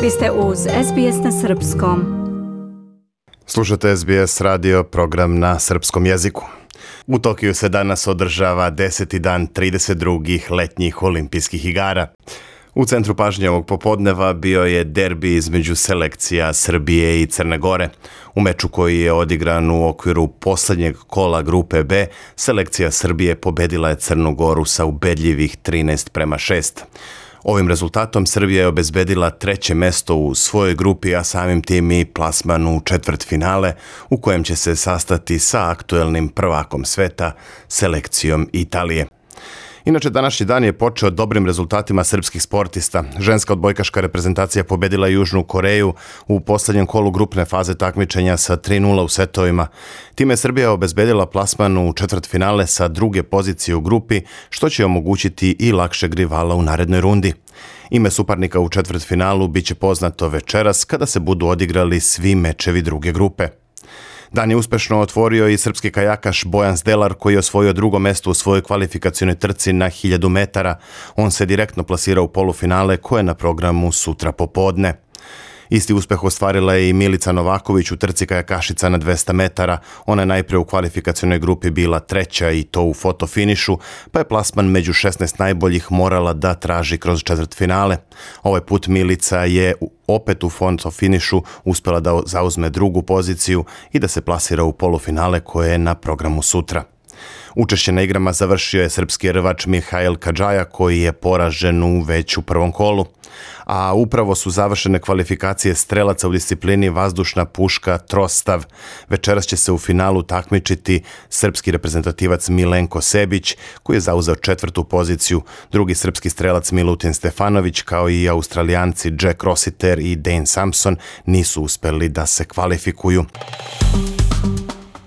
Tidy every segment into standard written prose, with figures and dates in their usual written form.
Vi ste uz SBS na Srpskom. Slušate SBS radio, program na srpskom jeziku. U Tokiju se danas održava 10. dan 32. letnjih olimpijskih igara. U centru pažnje ovog popodneva bio je derbi između selekcija Srbije i Crne Gore. U meču koji je odigran u okviru posljednjeg kola grupe B, selekcija Srbije pobedila je Crnu Goru sa ubedljivih 13:6. Ovim rezultatom Srbija je obezbedila treće mesto u svojoj grupi, a samim tim i plasman u četvrtfinale, u kojem će se sastati sa aktuelnim prvakom sveta, selekcijom Italije. Inače, današnji dan je počeo dobrim rezultatima srpskih sportista. Ženska odbojkaška reprezentacija pobedila Južnu Koreju u posljednjem kolu grupne faze takmičenja sa 3:0 u setovima. Time je Srbija obezbedila plasman u četvrtfinale sa druge pozicije u grupi, što će omogućiti i lakšeg rivala u narednoj rundi. Ime suparnika u četvrtfinalu biće poznato večeras kada se budu odigrali svi mečevi druge grupe. Dan je uspešno otvorio i srpski kajakaš Bojan Zdelar, koji je osvojio drugo mesto u svojoj kvalifikacionoj trci na 1000 metara. On se direktno plasira u polufinale koje je na programu sutra popodne. Isti uspeh ostvarila je i Milica Novaković u trci kajakašica na 200 metara. Ona je najprije u kvalifikacionoj grupi bila treća i to u fotofinišu, pa je plasman među 16 najboljih morala da traži kroz četvrtfinale. Ovaj put Milica je opet u fotofinišu uspjela da zauzme drugu poziciju i da se plasira u polufinale koje je na programu sutra. Učešće na igrama završio je srpski rvač Mihail Kadžaja, koji je poražen već u prvom kolu. A upravo su završene kvalifikacije strelaca u disciplini vazdušna puška trostav. Večeras će se u finalu takmičiti srpski reprezentativac Milenko Sebić, koji je zauzeo četvrtu poziciju. Drugi srpski strelac Milutin Stefanović, kao i Australijanci Jack Rossiter i Dane Sampson, nisu uspeli da se kvalifikuju.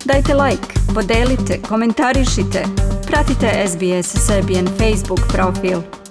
Dajte like, podelite, komentarišite. Pratite SBS Serbian Facebook profil.